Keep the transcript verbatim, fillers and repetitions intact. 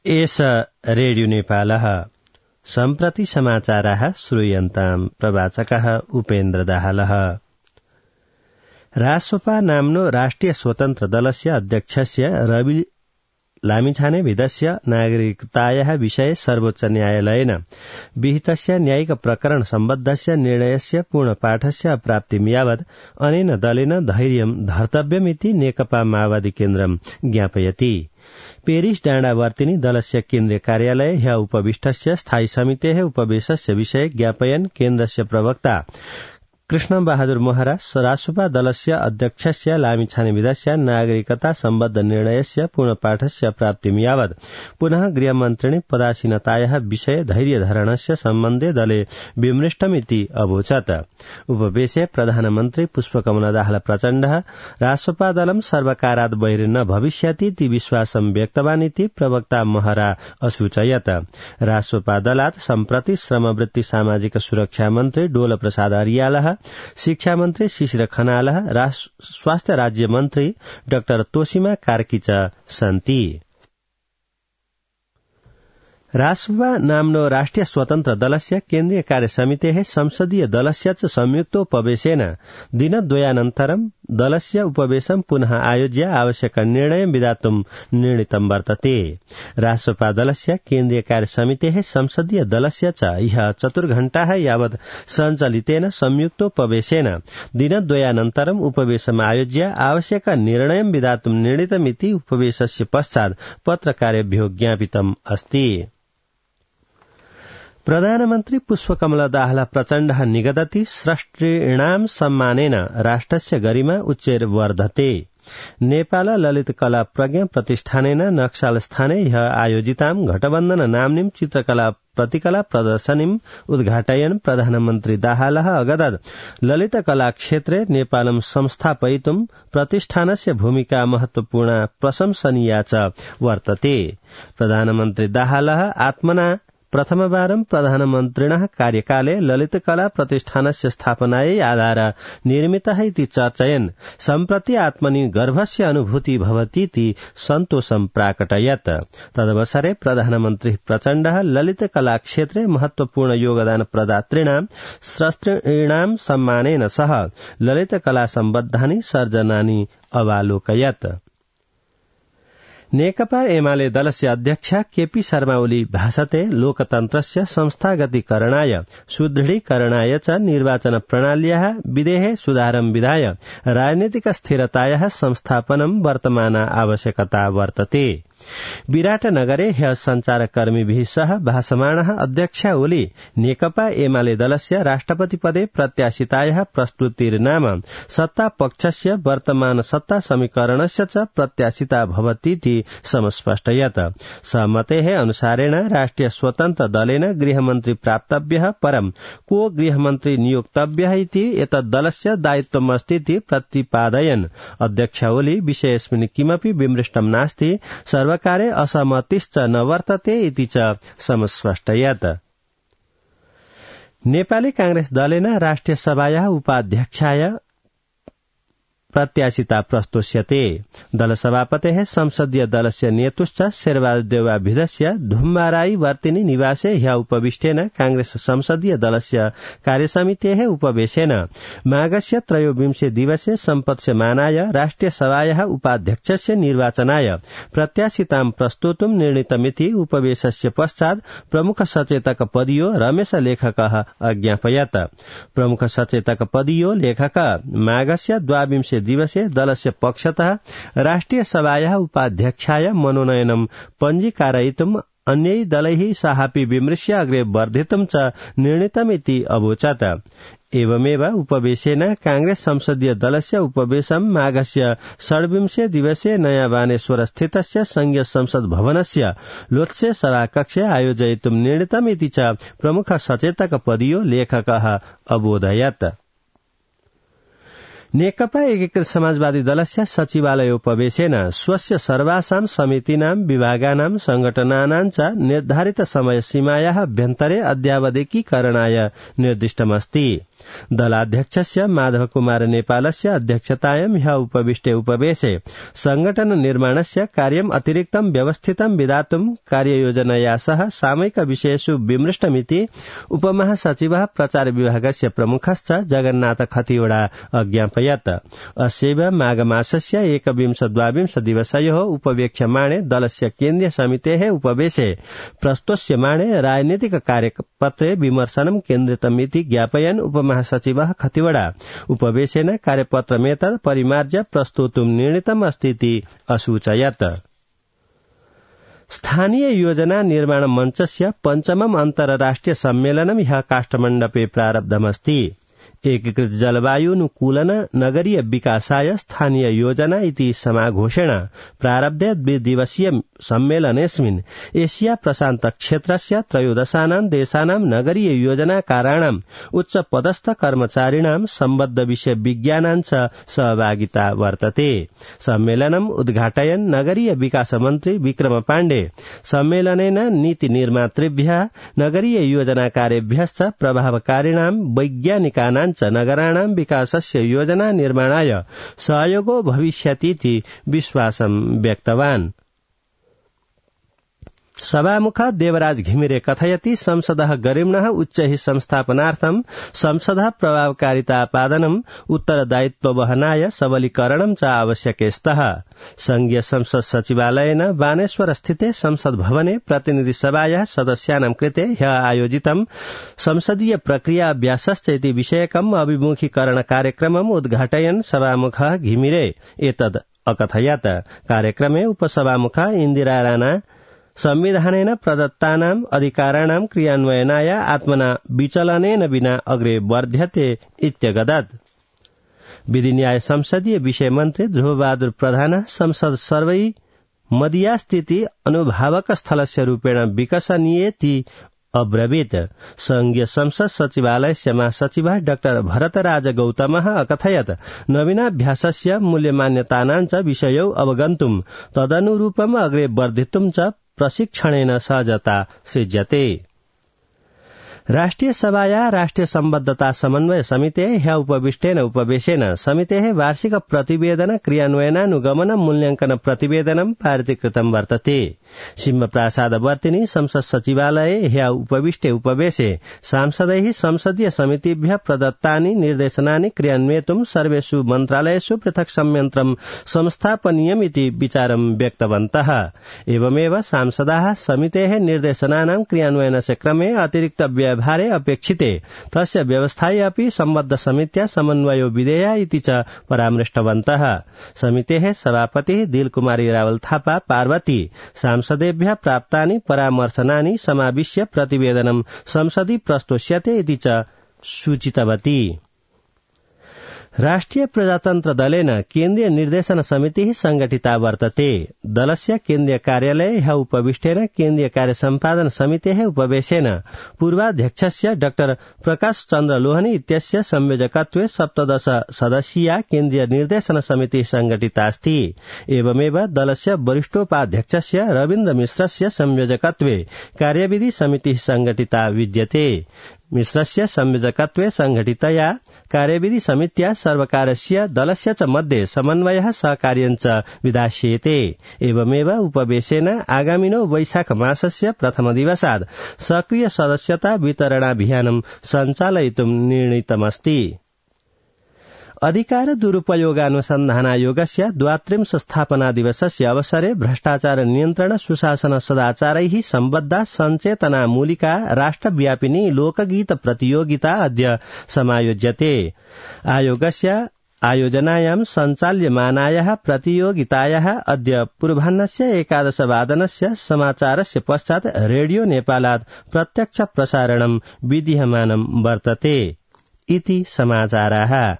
एष रेडियो नेपालः सम्प्रति समाचाराः श्रूयन्ताम् प्रवाचकः उपेन्द्र दाहालः। रासोपा नाम्नो राष्ट्रिय स्वतन्त्र दलस्य अध्यक्षस्य रवि लामिछानेविदस्य नागरिकतायाः विषये सर्वोच्च न्यायालयेन विहितस्य न्यायिक प्रकरण सम्बद्धस्य निर्णयस्य पूर्णपाठस्य अप्राप्तिं यावत् अनेन दलेन धैर्यं धर्तव्यमिति नेकपा माओवादी केन्द्रं ज्ञापयति। पेरिस डाँडावर्तिनी दलस्य केन्द्रीय कार्यालये ह्य उपविष्टस्य स्थायी समितेः उपवेशस्य विषये ज्ञापयन् केन्द्रस्य प्रवक्ता कृष्ण बहादुर महरा रासोपा दलस्य अध्यक्षस्य लामिछानेविदस्य नागरिकता सम्बद्ध निर्णयस्य पूर्णपाठस्य प्राप्तिं यावत् पुनः गृहमन्त्रिणी पदासीनतायाः विषये धैर्यधारणस्य सम्बन्धे दले विमृष्टमिति अवोचत्। उपवेशे प्रधानमन्त्री पुष्पकमल दाहाल प्रचण्डः रासोपा दलं सर्वकारात् बहिर् न भविष्यतीति विश्वासं व्यक्तवानिति प्रवक्ता महरा असूचयत्। रासोपा दलात् सम्प्रति श्रमवृत्ति सामाजिक सुरक्षा मन्त्री डोल प्रसाद अर्यालः, शिक्षा मन्त्री शिशिर खनालः, स्वास्थ्य राज्य मन्त्री डाक्टर तोसीमा कार्की च सन्ति। रासोपा नाम्नो राष्ट्रिय स्वतन्त्र दलस्य केन्द्रीय कार्यसमितेः संसदीय दलस्य च संयुक्तोपवेशेन दिनद्वयानन्तरं दलस्य उपवेशं पुनः आयोज्य आवश्यक निर्णयं विधातुं निर्णीतं वर्तते। रासोपा दलस्य केन्द्रीय कार्यसमितेः संसदीय दलस्य च ह्यः चतुर्घण्टाः यावत् सञ्चालितेन संयुक्तोपवेशेन दिनद्वयानन्तरं उपवेशम् आयोज्य आवश्यक निर्णयं विधातुं निर्णीतमिति उपवेशस्य पश्चात् पत्रकारेभ्यो ज्ञापितम् अस्ति। प्रधानमन्त्री पुष्पकमल दाहाल प्रचण्डः निगदति स्रष्टॄणां सम्मानेन राष्ट्रस्य गरिमा उच्चैर्वर्धते। नेपाल ललित कला प्रज्ञा प्रतिष्ठानेन नक्साल स्थाने ह्यः आयोजितां घटबन्धन नाम्नीं चित्रकला प्रतिकला प्रदर्शनीम् उद्घाटयन् प्रधानमन्त्री दाहालः अगदत् ललित कला क्षेत्रे नेपालं संस्थापयितुं प्रतिष्ठानस्य भूमिका महत्वपूर्णा प्रशंसनीया च वर्तते। प्रधानमन्त्री दाहालः आत्मना प्रथमवारं प्रधानमन्त्रिणः कार्यकाले ललित कला प्रतिष्ठानस्य स्थापनायै आधार निर्मितः इति चर्चयन् सम्प्रति आत्मनि गर्वस्य अनुभूति भवतीति सन्तोषं प्राकटयत्। तदवसरे प्रधानमन्त्री प्रचण्डः ललित कला क्षेत्रे महत्वपूर्ण योगदान प्रदातॄणां स्रष्टॄणां सम्मानेन सह ललित कला सम्बद्धानि सर्जनानि अवालोकयत्। नेकपा एमाले दलस्य अध्यक्ष केपी शर्मा ओली भाषते लोकतन्त्रस्य संस्थागतीकरणाय सुदृढीकरणाय च निर्वाचन प्रणाल्याः विधेः सुधारं विधाय राजनीतिक स्थिरतायाः संस्थापनं वर्तमान आवश्यकता वर्तते। विराटनगरे ह्यः संचारकर्मीभिः सह भाषमाणः अध्यक्ष ओली नेकपा एमाले दलस्य राष्ट्रपति पदे प्रत्याशितायाः प्रस्तुतिर्नाम सत्ता पक्षस्य वर्तमान सत्ता समीकरणस्य च प्रत्याशिता भवतीति समस्पष्टयत्। सहमतेः अनुसारेण राष्ट्रिय स्वतन्त्र दलेन गृहमन्त्री प्राप्तव्यः परं को गृहमन्त्री नियोक्तव्यः इति एतद्दलस्य दायित्वमस्तीति प्रतिपादयन् अध्यक्ष ओली विषयेऽस्मिन् किमपि विमृष्टं नास्ति, सर्वकारे असहमतिश्च न वर्तते इति च समस्पष्टयत्। नेपाली कांग्रेस दलेन राष्ट्रिय सभायाः उपाध्यक्षाय प्रत्याशिता प्रस्तोष्यते। दल सभापतेः संसदीय दलस्य नेतुश्च शेरबहादुर धुम्बाराई वर्तिनी निवासे ह्यः उपविष्टेन कांग्रेस संसदीय दलस्य कार्यसमितेः उपवेशेन माघस्य त्रयोविंशे दिवसे सम्पत्स्यमानाय राष्ट्रिय सभायाः उपाध्यक्षस्य निर्वाचनाय प्रत्याशितां प्रस्तोतुं निर्णीतमिति उपवेशस्य पश्चात् प्रमुख सचेतक पदीयो रमेश लेखकः अज्ञापयत्। प्रमुख सचेतक पदीयो लेखक माघस्य द्वाविंशे दिवसे दलस्य पक्षतः राष्ट्रिय सभायाः उपाध्यक्षाय मनोनयनं पञ्जीकारयितुम् अन्यै दलैः साहापि विमृश्य अग्रे वर्धितुं च निर्णीतमिति अवोचत्। एवमेव उपवेशेन कांग्रेस संसदीय दलस्य उपवेशं माघस्य षड्विंशे दिवसे नयाँ बानेश्वर स्थितस्य संघीय संसद भवनस्य लोत्से सभाकक्षे आयोजयितुं निर्णीतमिति च प्रमुख सचेतक पदीयो लेखकः अबोधयत्। नेकपा एकीकृत समाजवादी दलस्य सचिवालयोपवेशेन स्वस्य सर्वासां समितीनां विभागानां संघटनानां च निर्धारित समय सीमायाः अभ्यन्तरे अद्यावधिकीकरणाय निर्दिष्टमस्ति। दलाध्यक्षस्य माधव कुमार नेपालस्य अध्यक्षतायां ह्यः उपविष्टे उपवेशे संगठन निर्माणस्य कार्यम् अतिरिक्तं व्यवस्थितं विधातुं कार्ययोजनया सह सामयिक विषयेषु विमृष्टमिति उपमहासचिवः प्रचार विभागस्य प्रमुखश्च जगन्नाथ खतिवड़ा अज्ञापयत्। अस्यैव माघमासस्य एकविंश द्वाविंश दिवसयोः उपवेक्ष्यमाणे दलस्य केन्द्रीय समितेः उपवेशे प्रस्तोष्यमाणे राजनीतिक कार्यपत्रे विमर्शनं केन्द्रितमिति ज्ञापयन् उपमहासचिवः खतिवड़ा उपवेशेन कार्यपत्रमेतत् परिमार्ज्य प्रस्तोतुं निर्णीतमस्तीति असूचयत्। स्थानीय योजना निर्माण मञ्चस्य पञ्चमम् अन्तर्राष्ट्रिय सम्मेलनं ह्यः काष्ठमण्डपे प्रारब्धमस्ति। एकीकृत जलवायुनुकूलन नगरीय विकासाय स्थानीय योजना इति समाघोषेण प्रारब्धे द्विदिवसीय सम्मेलनेऽस्मिन् एशिया प्रशान्त क्षेत्रस्य त्रयोदशानां देशानां नगरीय योजनाकाराणाम् उच्चपदस्थ कर्मचारिणां सम्बद्ध विषय विज्ञानां च सहभागिता वर्तते। सम्मेलनम् उद्घाटयन् नगरीय विकास मन्त्री विक्रम पाण्डे सम्मेलनेन नीति निर्मातृभ्यः नगरीय योजनाकारेभ्यश्च प्रभावकारिणां वैज्ञानिकानां च नगराणां विकासस्य योजना निर्माणाय सहयोगो भविष्यतीति विश्वासं व्यक्तवान्। सभामुख देवराज घिमिरे कथयति संसदः गरिम्णः उच्चैः संस्थापनार्थं संसदः प्रभावकारितापादनम् उत्तरदायित्ववहनाय सबलीकरणं च आवश्यके स्तः। संघीय संसद सचिवालयेन बानेश्वर स्थिते संसद भवने प्रतिनिधि सभायाः सदस्यानां कृते ह्यः आयोजितं संसदीय प्रक्रिया अभ्यासश्च इति विषयकम् अभिमुखीकरण कार्यक्रमम् उद्घाटयन् सभामुखः घिमिरे एतद् अकथयत्। कार्यक्रमे उपसभामुखा इन्दिरा राणा संविधानेन प्रदत्तानाम् अधिकाराणां क्रियान्वयनाय आत्मना विचलनेन विना अग्रे वर्ध्यते इत्यगदत्। विधि न्याय संसदीय विषय मन्त्री ध्रुवबहादुर प्रधान संसद सर्वै मदीयास्थिति अनुभावक स्थलस्य रूपेण विकसनीयेति अब्रवीत्। संघीय संसद सचिवालयस्य महासचिवः डाक्टर भरतराज गौतमः अकथयत् नवीनाभ्यासस्य मूल्यमान्यतानां च विषयौ अवगन्तुं तदनुरूपम् अग्रे वर्धितुं च प्रशिक्षणेन सहजता सृज्यते। राष्ट्रिय सभाया राष्ट्रिय सम्बद्धता समन्वय समिते ह्यः उपविष्टेन उपवेशेन समितेः वार्षिक प्रतिवेदन क्रियान्वयनानुगमन मूल्यांकन प्रतिवेदनं पारितीकृतं वर्तते। सिंहप्रासादवर्तिनि संसद सचिवालये ह्यः उपविष्टे उपवेशे सांसदैः संसदीय समितिभ्यः प्रदत्तानि निर्देशनानि क्रियान्वयितुं सर्वेषु मन्त्रालयेषु पृथक् संयन्त्रं संस्थापनीयमिति विचारं व्यक्तवन्तः। एवमेव सांसदाः समितेः निर्देशनानां क्रियान्वयनस्य क्रमे अतिरिक्त व्यवहारे अपेक्षिते तस्य व्यवस्थायै अपि सम्बद्ध समित्या समन्वयो विधेया इति च परामृष्टवन्तः। समितेः सभापतिः दिलकुमारी रावल थापा पार्वती सांसदेभ्यः प्राप्तानि परामर्शनानि समाविश्य प्रतिवेदनं संसदि प्रस्तोष्यते इति च सूचितवती। राष्ट्रिय प्रजातन्त्र दलेन केन्द्रीय निर्देशन समितिः संगठिता वर्तते। दलस्य केन्द्रीय कार्यालये ह्यः उपविष्टेन केन्द्रीय कार्य सम्पादन समितेः उपवेशेन पूर्वाध्यक्षस्य डाक्टर प्रकाश चन्द्र लोहनी इत्यस्य संयोजकत्वे सप्तदश सदस्यीया केन्द्रीय निर्देशन समितिः संगठितास्ति। एवमेव दलस्य वरिष्ठोपाध्यक्षस्य रवीन्द्र मिश्रस्य संयोजकत्वे कार्यविधि समितिः संगठिता विद्यते। मिश्रस्य संयोजकत्वे संघटितया कार्यविधि समित्या सर्वकारस्य दलस्य च मध्ये समन्वयः सहकार्यं च विधास्येते। एवमेव उपवेशेन आगामिनो वैशाख मासस्य प्रथम दिवसात् सक्रिय सदस्यता वितरणाभियानं सञ्चालयितुं निर्णीतमस्ति। अधिकार दुरुपयोगानुसन्धानायोगस्य द्वात्रिंश स्थापना दिवसस्य अवसरे भ्रष्टाचार नियन्त्रण सुशासन सदाचारैः सम्बद्धा सञ्चेतनामूलिका राष्ट्रव्यापिनी लोकगीत प्रतियोगिता अद्य समायोज्यते। आयोगस्य आयोजनायां सञ्चाल्यमानायाः प्रतियोगितायाः अद्य पूर्वाह्नस्य एकादशवादनस्य समाचारस्य पश्चात् रेडियो नेपालात् प्रत्यक्ष प्रसारणं विधीयमानं वर्तते इति समाचाराः।